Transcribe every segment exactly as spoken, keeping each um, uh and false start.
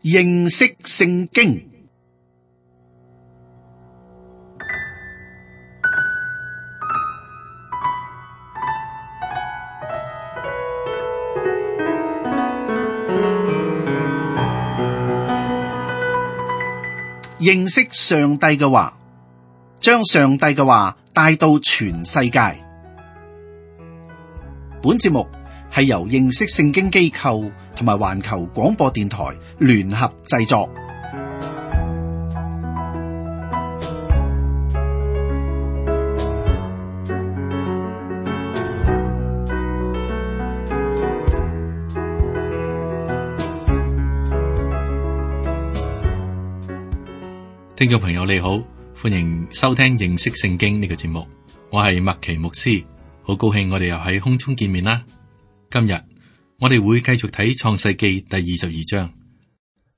認識聖經。認識上帝嘅話，將上帝嘅話帶到全世界。本節目係由認識聖經機構同埋環球廣播電台聯合製作。聽眾朋友你好，歡迎收聽認識聖經呢個節目，我係麥奇牧師，好高興我哋又喺空中見面啦。今日我哋會繼續睇創世記第二十二章。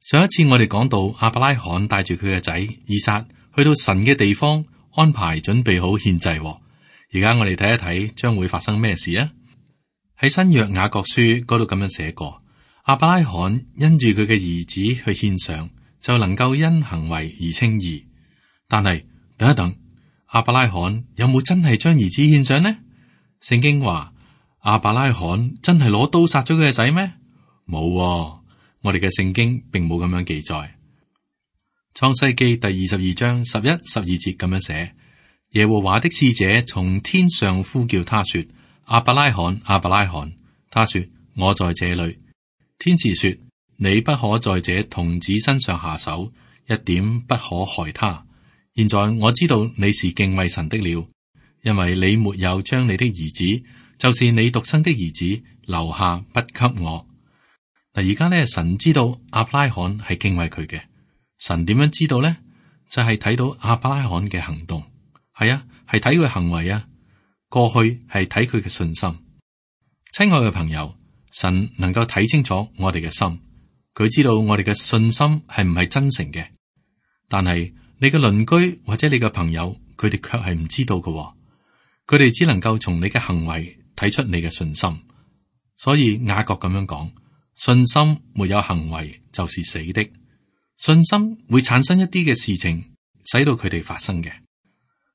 上一次我哋講到亞伯拉罕帶住佢嘅仔以撒去到神嘅地方，安排準備好獻祭。而家我哋睇一睇將會發生咩事啊？喺新約雅各書嗰度咁樣寫過，亞伯拉罕因住佢嘅兒子去獻上，就能夠因行為而稱義。但係等一等，亞伯拉罕有冇真係將兒子獻上呢？聖經話亞伯拉罕真係攞刀殺咗佢嘅仔咩？冇、哦，我哋嘅聖經並冇咁樣記載。創世記第二十二章十一、十二節咁樣寫：耶和華的使者從天上呼叫他說：亞伯拉罕，亞伯拉罕。他說：我在這裏。天使說：你不可在這童子身上下手，一點不可害他。現在我知道你是敬畏神的了，因為你沒有將你的兒子，就是你獨生的兒子留下不給我。嗱，而家咧，神知道亞伯拉罕係敬畏佢嘅。神點樣知道呢？就係、是、睇到亞伯拉罕嘅行動，係啊，係睇佢行為啊。過去係睇佢嘅信心。親愛嘅朋友，神能夠睇清楚我哋嘅心。佢知道我哋嘅信心係唔係真誠嘅，但係你嘅鄰居或者你嘅朋友，佢哋卻係唔知道嘅。佢哋只能夠從你嘅行為睇出你嘅信心。所以雅各咁樣講：信心沒有行為就是死的。信心會產生一啲嘅事情，使到佢哋發生嘅。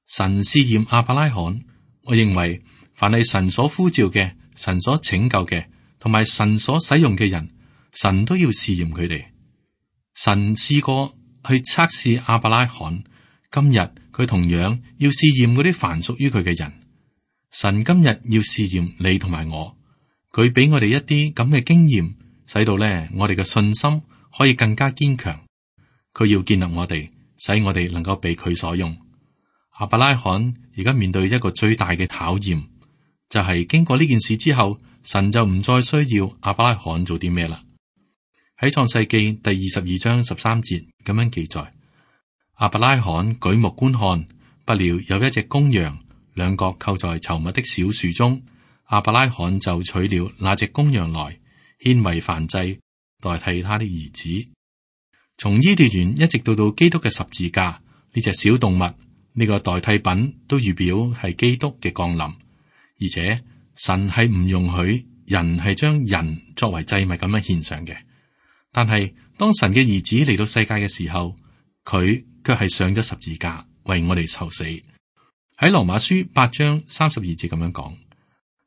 神試驗亞伯拉罕，我認為凡係神所呼召嘅、神所拯救嘅，同埋神所使用嘅人，神都要試驗佢哋。神試過去測試亞伯拉罕，今日佢同樣要試驗嗰啲凡屬於佢嘅人。神今日要試驗你同埋我，佢俾我哋一啲咁嘅經驗，使到咧我哋嘅信心可以更加堅強。佢要建立我哋，使我哋能夠被佢所用。亞伯拉罕而家面對一個最大嘅考驗，就係經過呢件事之後，神就唔再需要亞伯拉罕做啲咩啦。喺創世記第二十二章十三節咁樣記載：亞伯拉罕舉目觀看，不料有一隻公羊，兩角扣在稠密的小樹中。亞伯拉罕就取了那隻公羊來，獻為燔祭，代替他的兒子。從伊甸園一直到到基督嘅十字架，呢隻小動物呢、這個代替品都預表係基督嘅降臨，而且神係唔容許人係將人作為祭物咁樣獻上嘅。但係當神嘅兒子嚟到世界嘅時候，佢卻係上咗十字架為我哋受死。喺羅馬書八章三十二節咁樣講：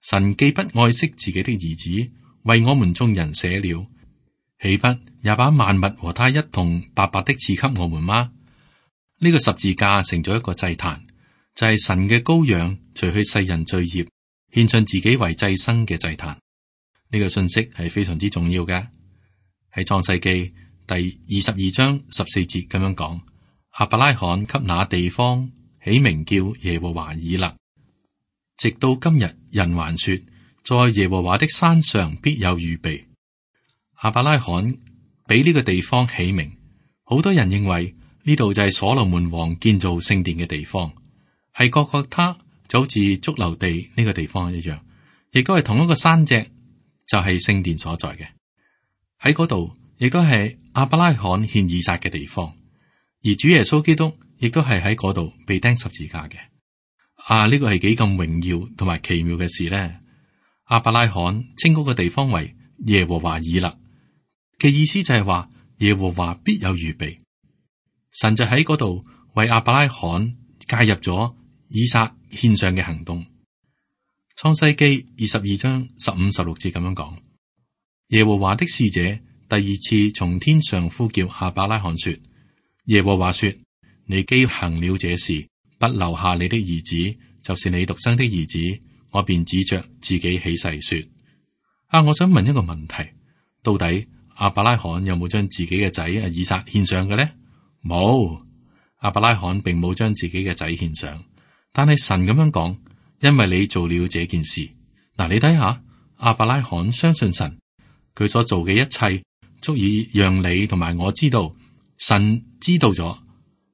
神既不愛惜自己的兒子，為我們眾人捨了，豈不也把萬物和他一同白白的賜給我們嗎？呢、這個十字架成咗一個祭壇，就係、是、神嘅羔羊除去世人罪孽，獻上自己為祭牲嘅祭壇。呢、這個信息係非常之重要嘅。喺創世記第二十二章十四節咁樣講：亞伯拉罕給那地方起名叫耶和華以勒，直到今日，人還說，在耶和華的山上必有預備。亞伯拉罕俾呢個地方起名，好多人認為呢度就係所羅門王建造聖殿嘅地方，係各各他就好似髑髏地呢個地方一樣，亦都係同一個山脊，就係聖殿所在嘅。喺嗰度亦都係亞伯拉罕獻以撒嘅地方，而主耶穌基督亦都係喺嗰度被釘十字架嘅。啊，呢個係幾咁榮耀同埋奇妙嘅事呢？亞伯拉罕稱嗰個地方為耶和華以勒嘅意思就係話耶和華必有預備。神就喺嗰度為亞伯拉罕介入咗以撒獻上嘅行動。創世記二十二章十五、十六節咁樣講：耶和華的使者第二次從天上呼叫亞伯拉罕說：耶和華說，你既行了這事，不留下你的兒子，就是你獨生的兒子，我便指着自己起誓說：啊，我想問一個問題，到底亞伯拉罕有冇將自己嘅仔啊以撒獻上嘅呢？冇，亞伯拉罕並冇將自己嘅仔獻上，但係神咁樣講。因為你做了這件事，嗱，你睇下，亞伯拉罕相信神，佢所做嘅一切足以讓你同埋我知道，神知道咗，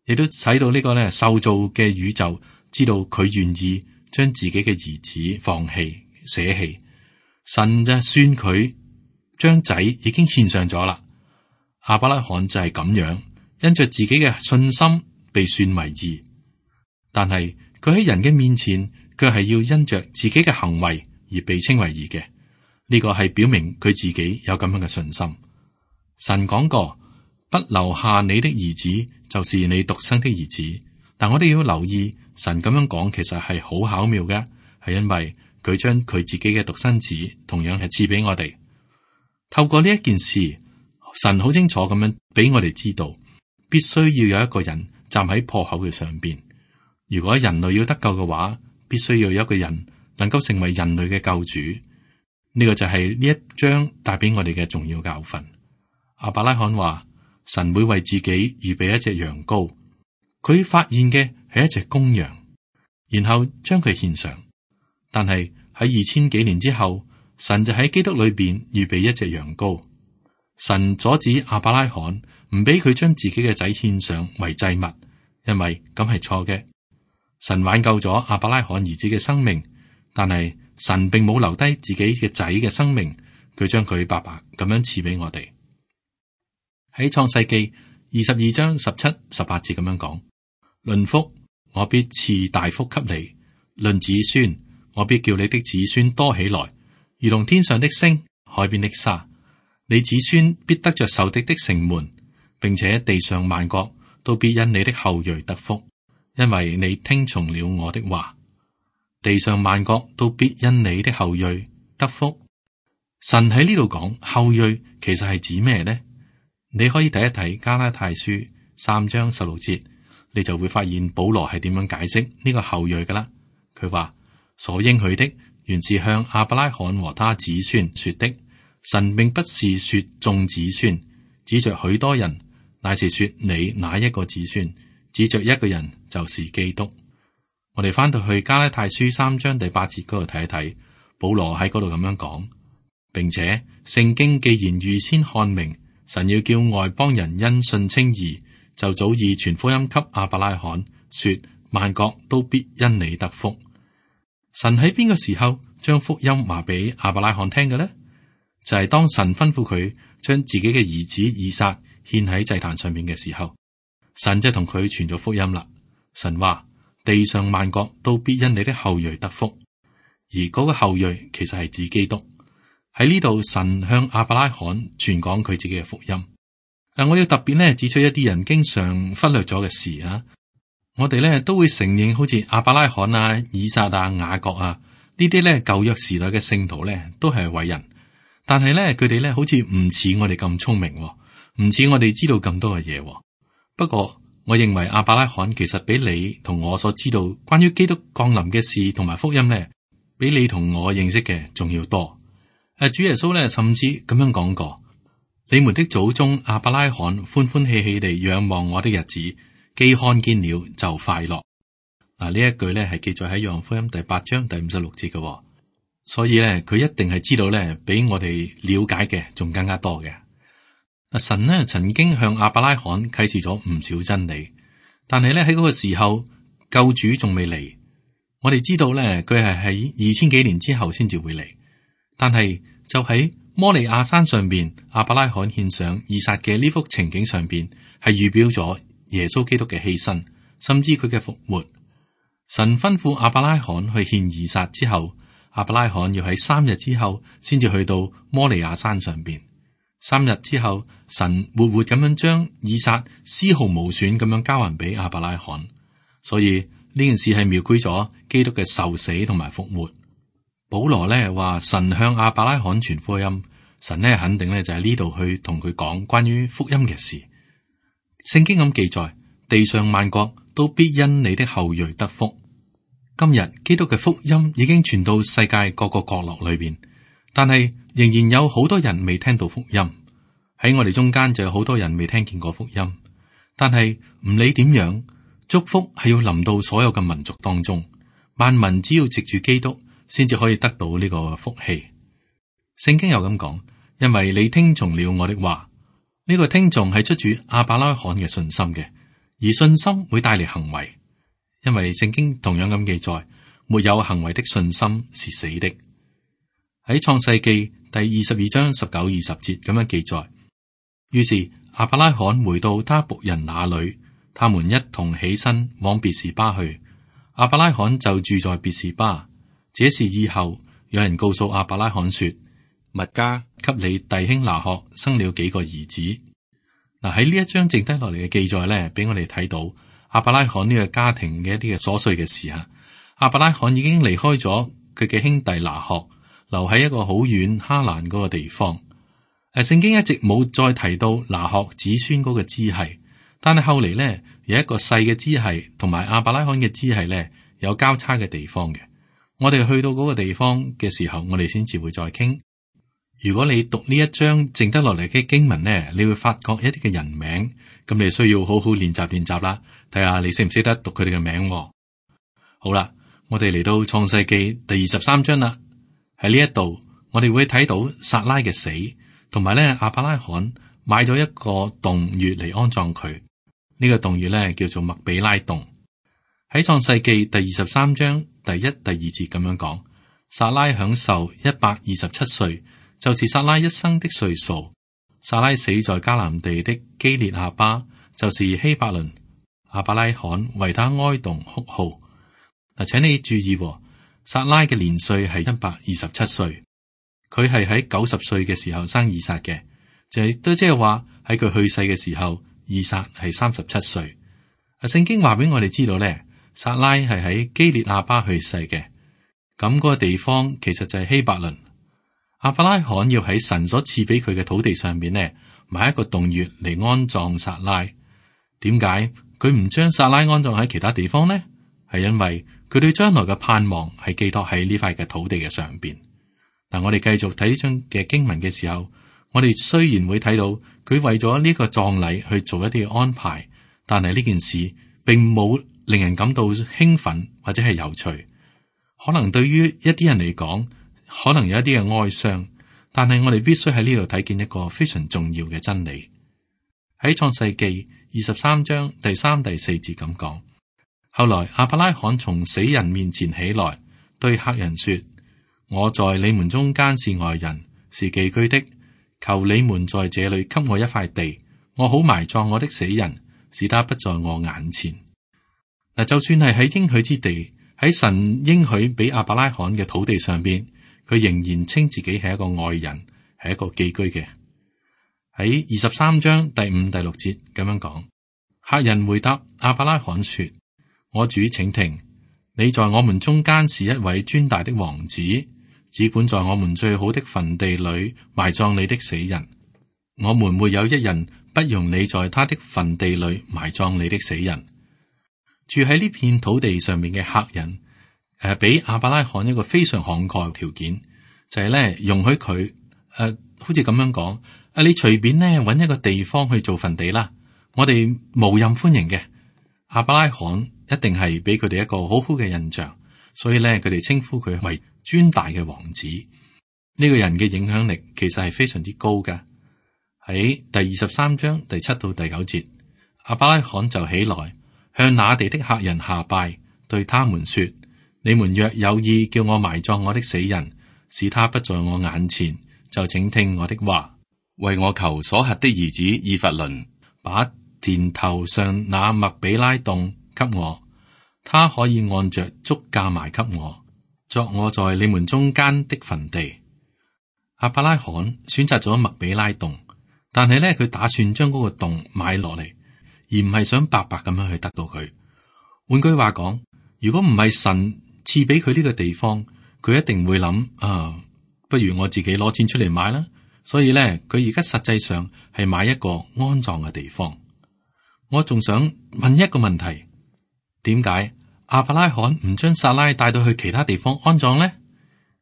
亦都使到呢個咧受造嘅宇宙知道佢願意將自己嘅兒子放棄捨棄，神就算佢將仔已經獻上咗啦。亞伯拉罕就係咁樣，因着自己嘅信心被算為義，但係佢喺人嘅面前。佢係要因着自己嘅行為而被稱為義嘅，呢個係表明佢自己有咁樣嘅信心。神講過，不留下你的兒子，就是你獨生的兒子。但我哋要留意，神咁樣講其實係好巧妙嘅，係因為佢將佢自己嘅獨生子同樣係賜俾我哋。透過呢一件事，神好清楚咁樣俾我哋知道，必須要有一個人站喺破口嘅上邊。如果人類要得救嘅話，必須要有一個人能夠成為人類嘅救主，呢個就係呢一章帶俾我哋嘅重要教訓。亞伯拉罕話：神會為自己預備一隻羊羔，佢發現嘅係一隻公羊，然後將佢獻上。但係喺二千幾年之後，神就喺基督裏邊預備一隻羊羔。神阻止亞伯拉罕唔俾佢將自己嘅仔獻上為祭物，因為咁係錯嘅。神挽救咗亞伯拉罕兒子嘅生命，但係神並冇留低自己嘅仔嘅生命，佢將佢白白咁樣賜俾我哋。喺創世記二十二章十七、十八節咁樣講：論福，我必賜大福給你；論子孫，我必叫你的子孫多起來，如同天上的星、海邊的沙。你子孫必得着仇敵的城門，並且地上萬國都必因你的後裔得福。因為你聽從了我的話，地上萬國都必因你的後裔得福。神喺呢度講後裔，其實係指咩呢？你可以睇一睇加拉太書三章十六節，你就會發現保羅係點樣解釋呢個後裔噶啦。佢話所應許的原是向亞伯拉罕和他子孫說的，神並不是說眾子孫，指着許多人，乃是說你哪一個子孫，指着一個人，就是基督。我哋翻到去加拉太書三章第八節嗰度睇一睇，保羅喺嗰度咁樣講，並且聖經既然預先看明，神要叫外邦人因信稱義，就早已傳福音給亞伯拉罕，說萬國都必因你得福。神喺邊個時候將福音話俾亞伯拉罕聽嘅呢？就係、是、當神吩咐佢將自己嘅兒子以撒獻喺祭壇上面嘅時候。神就同佢傳咗福音啦。神話地上萬國都必因你的後裔得福，而嗰個後裔其實係指基督。喺呢度，神向亞伯拉罕傳講佢自己嘅福音。嗱，我要特別咧指出一啲人經常忽略咗嘅事啊。我哋咧都會承認，好似亞伯拉罕啊、以撒啊、雅各啊呢啲咧舊約時代嘅聖徒咧都係偉人，但係咧佢哋咧好似唔似我哋咁聰明，唔似我哋知道咁多嘅嘢。不過，我認為亞伯拉罕其實比你同我所知道關於基督降臨嘅事同埋福音呢，比你同我認識嘅仲要多。誒，主耶穌呢，甚至咁樣講過：你們的祖宗亞伯拉罕歡歡喜喜地仰望我的日子，既看見了就快樂。嗱，呢一句呢係記載喺約翰福音第八章第五十六節嘅，所以呢，佢一定係知道呢，比我哋了解嘅仲更加多嘅。神呢曾經向亞伯拉罕啟示咗唔少真理，但係咧喺嗰個時候救主仲未嚟。我哋知道咧佢係喺二千幾年之後先至會嚟，但係就喺摩利亞山上邊，亞伯拉罕獻上以撒嘅呢幅情景上邊，係預表咗耶穌基督嘅犧牲，甚至佢嘅復活。神吩咐亞伯拉罕去獻以撒之後，亞伯拉罕要喺三日之後先至去到摩利亞山上邊。三日之後，神活活咁樣將以撒絲毫無損咁樣交還俾亞伯拉罕。所以呢件事係描繪咗基督嘅受死同埋復活。保羅咧話神向亞伯拉罕傳福音，神咧肯定咧就喺呢度去同佢講關於福音嘅事。聖經咁記載，地上萬國都必因你的後裔得福。今日基督嘅福音已經傳到世界各個角落裏邊，但係仍然有好多人未聽到福音。喺我哋中間就有好多人未聽見過福音。但係唔理點樣，祝福係要臨到所有嘅民族當中，萬民只要藉住基督，先至可以得到呢個福氣。聖經又咁講，因為你聽從了我的話。呢個聽從係出自亞伯拉罕嘅信心嘅，而信心會帶嚟行為。因為聖經同樣咁記載，沒有行為的信心是死的。喺創世記第二十二章十九、二十節咁樣記載。於是亞伯拉罕回到他僕人那裏，他們一同起身往別是巴去。亞伯拉罕就住在別是巴。這事以後，有人告訴亞伯拉罕說，密迦給你弟兄拿鶴生了幾個兒子。嗱，喺呢一章剩低落嚟嘅記載咧，俾我哋睇到亞伯拉罕呢個家庭嘅一啲嘅瑣碎嘅事啊。亞伯拉罕已經離開咗佢嘅兄弟拿鶴，留喺一個好遠哈蘭嗰個地方。誒，聖經一直冇再提到拿鶴子孫嗰個支系，但係後嚟咧有一個細嘅支系同埋亞伯拉罕嘅支系咧有交叉嘅地方嘅。我哋去到嗰個地方嘅時候，我哋先至會再傾。如果你讀呢一章剩得落嚟嘅經文呢，你會發覺一啲嘅人名，咁你需要好好練習練習啦，睇下你識唔識得讀佢哋嘅名。好啦，我哋嚟到創世記第二十三章啦。喺呢一度，我哋會睇到撒拉嘅死，同埋咧亞伯拉罕買咗一個洞穴嚟安葬佢。呢、這個洞穴咧叫做麥比拉洞。喺創世記第二十三章第一、第二節咁樣講，撒拉享受一百二十七歲。就是撒拉一生的歲數。撒拉死在迦南地的基列亞巴，就是希伯倫。亞伯拉罕為他哀慟哭號。嗱，請你注意，撒拉嘅年歲係一百二十七歲，佢係喺九十歲嘅時候生以撒嘅，就係都即係話喺佢去世嘅時候，以撒係三十七歲。啊，聖經話俾我哋知道咧，撒拉係喺基列亞巴去世嘅，咁嗰個地方其實就係希伯倫。亞伯拉罕要喺神所賜俾佢嘅土地上面呢，買一個洞穴嚟安葬撒拉。點解佢唔將撒拉安葬喺其他地方呢？係因為佢對將來嘅盼望係寄託喺呢塊嘅土地嘅上邊。嗱，我哋繼續睇呢章嘅經文嘅時候，我哋雖然會睇到佢為咗呢個葬禮去做一啲嘅安排，但係呢件事並冇令人感到興奮或者係有趣。可能對於一啲人嚟講，可能有一啲嘅哀傷，但係我哋必須喺呢度睇見一個非常重要嘅真理。喺創世記二十三章第三、第四節咁講，後來亞伯拉罕從死人面前起來，對客人說：我在你們中間是外人，是寄居的，求你們在這裏給我一塊地，我好埋葬我的死人，使他不在我眼前。嗱，就算係喺應許之地，喺神應許俾亞伯拉罕嘅土地上邊，佢仍然稱自己係一個外人，係一個寄居嘅。喺二十三章第五、第六節咁樣講，客人回答亞伯拉罕說：我主請聽，你在我們中間是一位尊大的王子，只管在我們最好的墳地裏埋葬你的死人。我們沒有一人不容你在他的墳地裏埋葬你的死人。住喺呢片土地上面嘅客人，誒，俾亞伯拉罕一個非常慷慨嘅條件，就係、是、咧容許佢誒、呃，好似咁樣講，誒，你隨便咧搵一個地方去做墳地啦，我哋無任歡迎嘅。亞伯拉罕一定係俾佢哋一個好好嘅印象，所以咧佢哋稱呼佢為尊大嘅王子。呢、這個人嘅影響力其實係非常之高㗎。喺第二十三章第七到第九節，亞伯拉罕就起來向那地的客人下拜，對他們說：你們若有意叫我埋葬我的死人，使他不在我眼前，就請聽我的話，為我求所轄的兒子以弗倫，把田頭上那麥比拉洞給我，他可以按着足價賣給我，作我在你們中間的墳地。亞伯拉罕選擇咗麥比拉洞，但係咧佢打算將嗰個洞買落嚟，而唔係想白白咁樣去得到佢。換句話講，如果唔係神賜俾佢呢個地方，佢一定會諗啊，不如我自己攞錢出嚟買啦。所以咧，佢而家實際上係買一個安葬嘅地方。我仲想問一個問題：點解亞伯拉罕唔將撒拉帶到去其他地方安葬呢？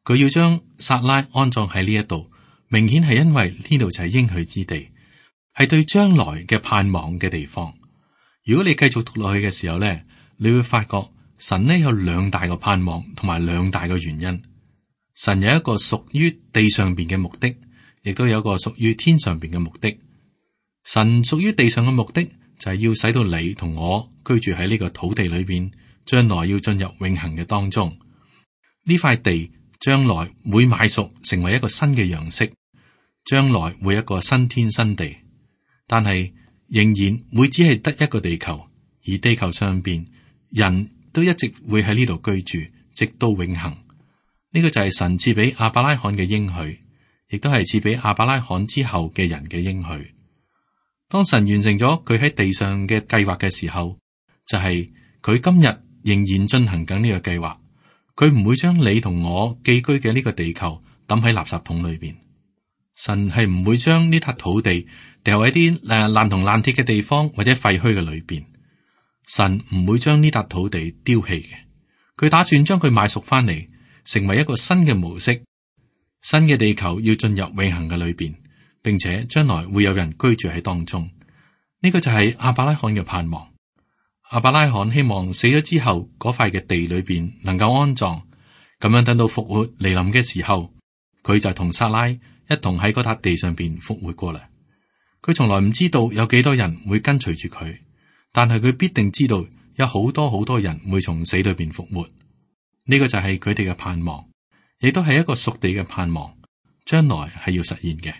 佢要將撒拉安葬喺呢一度，明顯係因為呢度就係應許之地，係對將來嘅盼望嘅地方。如果你繼續讀落去嘅時候咧，你會發覺神呢有兩大個盼望同埋兩大個原因。神有一個屬於地上邊嘅目的，亦都有一個屬於天上邊嘅目的。神屬於地上嘅目的就係要使到你同我居住喺呢個土地裏邊，將來要進入永恆嘅當中。呢塊地將來會買贖成為一個新嘅樣式，將來會一個新天新地，但係仍然會只係得一個地球，而地球上邊人都一直會喺呢度居住，直到永恆。呢個就係神賜俾亞伯拉罕嘅應許，亦都係賜俾亞伯拉罕之後嘅人嘅應許。當神完成咗佢喺地上嘅計劃嘅時候，就係佢今日仍然進行緊呢個計劃。佢唔會將你同我寄居嘅呢個地球抌喺垃圾桶裏邊。神係唔會將呢笪土地掉喺啲誒爛銅爛鐵嘅地方或者廢墟嘅裏邊。神唔會將呢笪土地丟棄嘅。佢打算將佢買贖翻嚟，成為一個新嘅模式。新嘅地球要進入永恆嘅裏邊，並且將來會有人居住喺當中。呢個就係亞伯拉罕嘅盼望。亞伯拉罕希望死咗之後嗰塊嘅地裏邊能夠安葬，咁樣等到復活嚟臨嘅時候，佢就同撒拉一同喺嗰笪地上邊復活過嚟。佢從來唔知道有幾多人會跟隨住佢，但係佢必定知道有好多好多人會從死裏邊復活。呢個就係佢哋嘅盼望，亦都係一個屬地嘅盼望，將來係要實現嘅。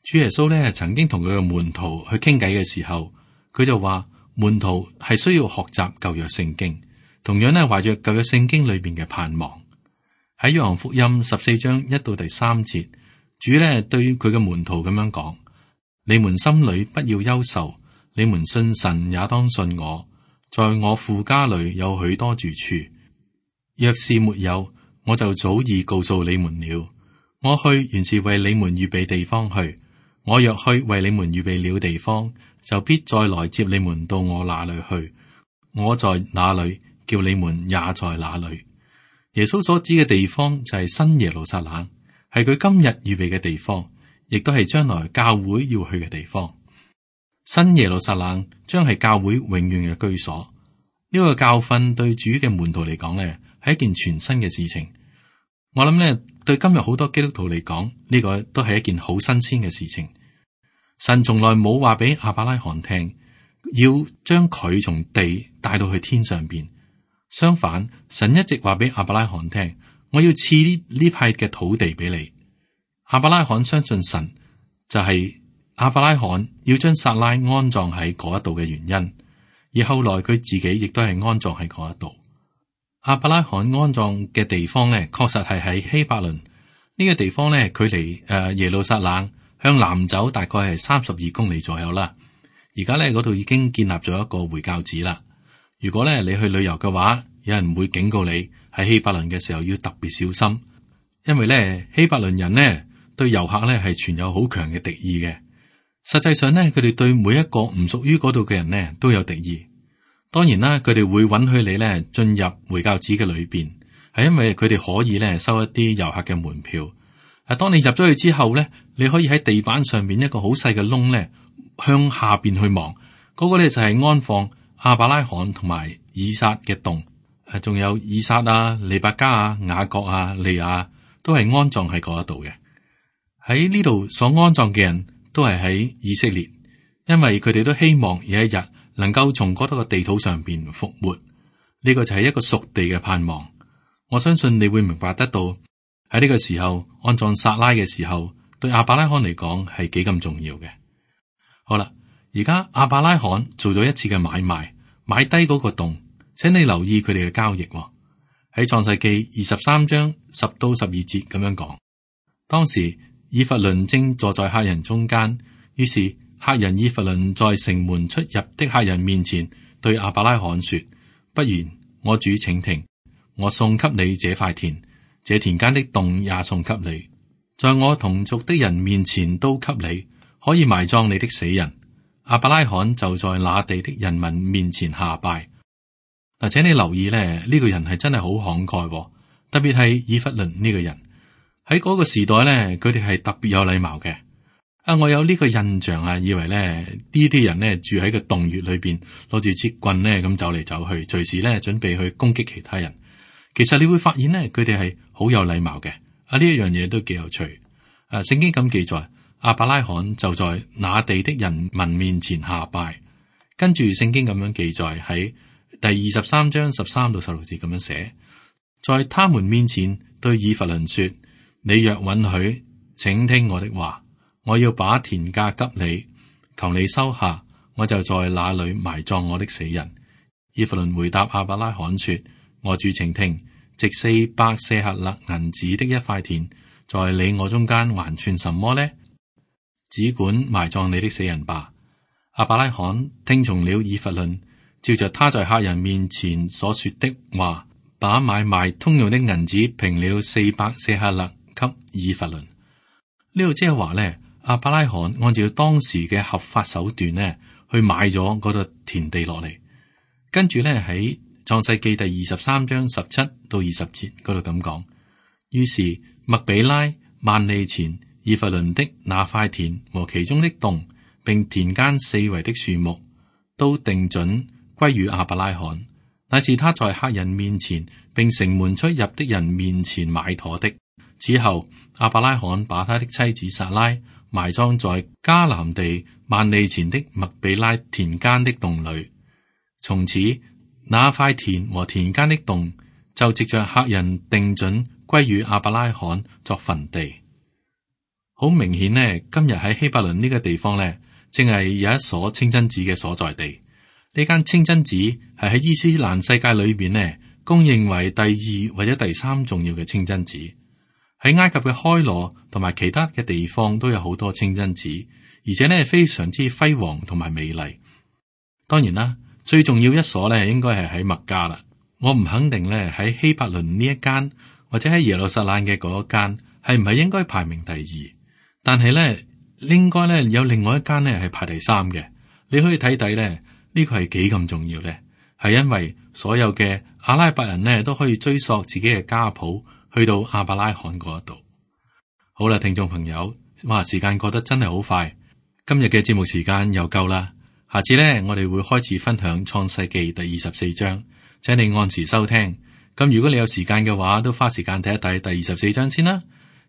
主耶穌咧曾經同佢嘅門徒去傾偈嘅時候，佢就話門徒係需要學習舊約聖經，同樣咧懷着舊約聖經裏邊嘅盼望。喺約翰福音十四章一到第三節，主咧對佢嘅門徒咁樣講：你們心裏不要憂愁，你們信神也當信我，在我父家裏有許多住處，若是沒有，我就早已告訴你們了。我去原是為你們預備地方去，我若去為你們預備了地方，就必再來接你們到我那裏去。我在哪裏，叫你們也在哪裏。耶穌所指嘅地方就係新耶路撒冷，係佢今日預備嘅地方，亦都係將來教會要去嘅地方。新耶路撒冷將係教會永遠嘅居所。呢個教訓對主嘅門徒嚟講咧，係一件全新嘅事情。我諗咧，對今日好多基督徒嚟講，呢個都係一件好新鮮嘅事情。神從來冇話俾亞伯拉罕聽，要將佢從地帶到去天上邊。相反，神一直話俾亞伯拉罕聽，我要賜呢呢塊嘅土地俾你。亞伯拉罕相信神，就係亞伯拉罕要將撒拉安葬喺嗰一度嘅原因。而後來佢自己亦都係安葬喺嗰一度。亞伯拉罕安葬嘅地方咧，確實係喺希伯倫呢個地方咧，距離誒耶路撒冷向南走大概係三十二公里左右啦。而家咧嗰度已經建立咗一個回教寺啦。如果咧你去旅遊嘅話，有人會警告你喺希伯倫嘅時候要特別小心，因為咧希伯倫人呢對遊客咧係存有好強嘅敵意嘅。實際上咧，佢哋對每一個唔屬於嗰度嘅人呢都有敵意。當然啦，佢哋會允許你咧進入回教寺嘅裏邊，係因為佢哋可以咧收一啲遊客嘅門票。啊，當你入咗去之後咧，你可以喺地板上面一個好細嘅窿咧向下邊去望，嗰個咧就係安放亞伯拉罕同埋以撒嘅洞。誒，仲有以撒啊、利百加啊、雅各啊、利亞都係安葬喺嗰一度嘅。喺呢度所安葬嘅人都係喺以色列，因為佢哋都希望有一日能夠從嗰度嘅地土上邊復活。呢個就係一個屬地嘅盼望。我相信你會明白得到喺呢個時候安葬撒拉嘅時候，對亞伯拉罕嚟講係幾咁重要嘅。好啦，而家亞伯拉罕做咗一次嘅買賣，買低嗰個洞。請你留意佢哋嘅交易喎。喺創世記二十三章十到十二節咁樣講。當時以弗倫正坐在客人中間，於是客人以弗倫在城門出入的客人面前對亞伯拉罕說：不然，我主請聽，我送給你這塊田，這田間的洞也送給你，在我同族的人面前都給你，可以埋葬你的死人。亞伯拉罕就在那地的人民面前下拜。嗱，請你留意咧，呢、這個人係真係好慷慨，特別係以弗倫呢個人喺嗰個時代咧，佢哋係特別有禮貌嘅。啊，我有呢個印象啊，以為咧呢啲人咧住喺個洞穴裏邊，攞住支棍咧咁走嚟走去，隨時咧準備去攻擊其他人。其實你會發現咧，佢哋係好有禮貌嘅。啊，呢一樣嘢都幾有趣。啊，聖經咁記載，亞伯拉罕就在那地的人民面前下拜。跟住聖經咁樣記載喺第二十三章十三到十六節咁樣寫，在他們面前對以弗倫說：你若允許，請聽我的話。我要把田價給你，求你收下，我就在那裏埋葬我的死人。以弗倫回答亞伯拉罕說：我主請聽，值四百舍客勒銀子的一塊田，在你我中間還算什麼呢？只管埋葬你的死人吧。亞伯拉罕聽從了以弗倫，照着他在客人面前所說的話，把買賣通用的銀子平了四百舍客勒給以弗倫。呢度即係話咧，亞伯拉罕按照當時嘅合法手段咧，去買咗嗰度田地落嚟。跟住咧喺創世記第二十三章十七到二十節嗰度咁講，於是麥比拉、萬利前、以弗倫的那塊田和其中的洞，並田間四圍的樹木，都定準歸於亞伯拉罕，乃是他在客人面前並城門出入的人面前買妥的。此後，亞伯拉罕把他的妻子撒拉埋葬在迦南地萬利前的麥比拉田間的洞裏。從此，那塊田和田間的洞就藉着客人定準歸於亞伯拉罕作墳地。好明顯呢，今日喺希伯倫呢個地方呢，正係有一所清真寺嘅所在地。呢間清真寺係喺伊斯蘭世界裏邊呢，公認為第二或者第三重要嘅清真寺。喺埃及嘅開羅同埋其他嘅地方都有好多清真寺，而且呢非常之輝煌同埋美麗。當然啦，最重要一所呢應該係喺麥加啦。我唔肯定呢喺希伯倫呢一間或者喺耶路撒冷嘅嗰一間係唔係應該排名第二，但係呢應該呢有另外一間呢係排第三嘅。你可以睇睇呢呢個係幾咁重要呢？係因為所有嘅阿拉伯人呢都可以追溯自己嘅家譜。去到亞伯拉罕嗰度。好啦，聽眾朋友，哇，時間過得真係好快，今日嘅節目時間又夠啦。下次呢，我哋會開始分享創世記第二十四章，請你按時收聽。咁如果你有時間嘅話，都花時間睇一睇第二十四章先啦。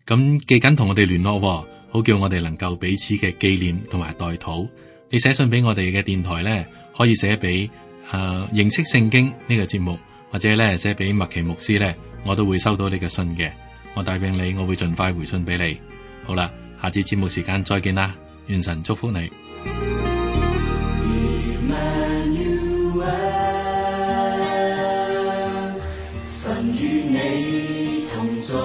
咁記緊同我哋聯絡，好叫我哋能夠彼此嘅紀念同埋代禱。你寫信俾我哋嘅電台呢，可以寫俾誒認識聖經呢個節目，或者咧寫俾麥奇牧師呢，我都會收到你嘅信嘅，我答應你，我會盡快回信俾你。好啦，下次節目時間再見啦，願神祝福你。神與你同在，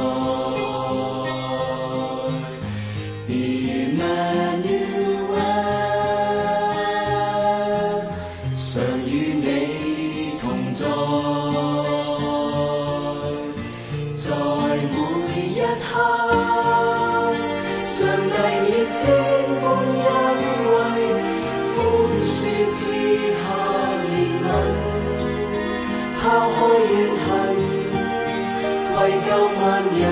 常與你同在。在每一刻，上帝已千般恩惠，寬恕賜下憐憫，拋開怨恨，為救萬人。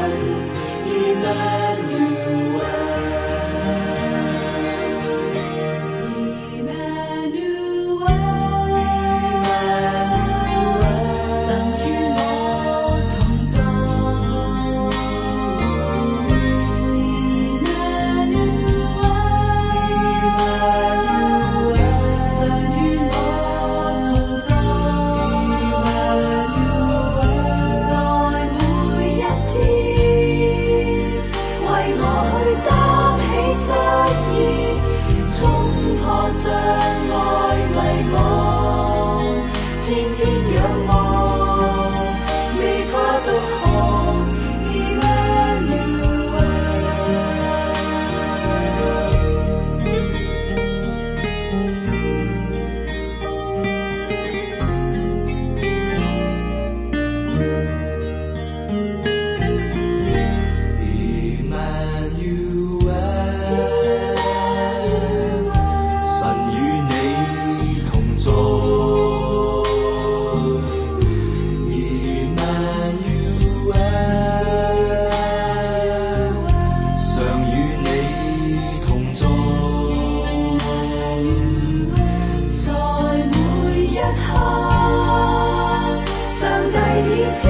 千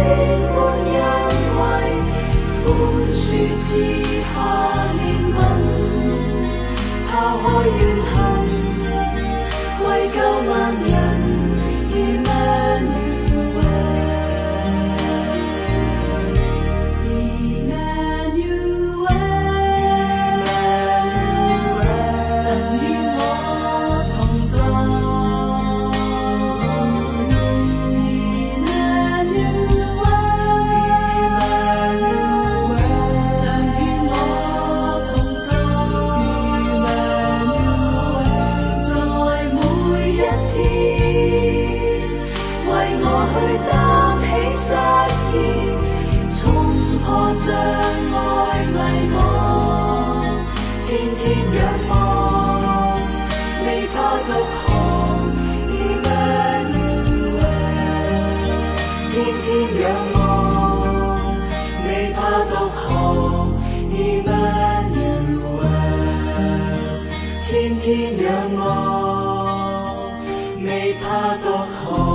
般恩惠，寬恕之下憐憫，拋開怨恨，為救萬人。障礙迷茫，天天仰望，未怕獨行。Emmanuel， 天天仰望，未怕獨行。Emmanuel， 天天仰望，未怕獨行。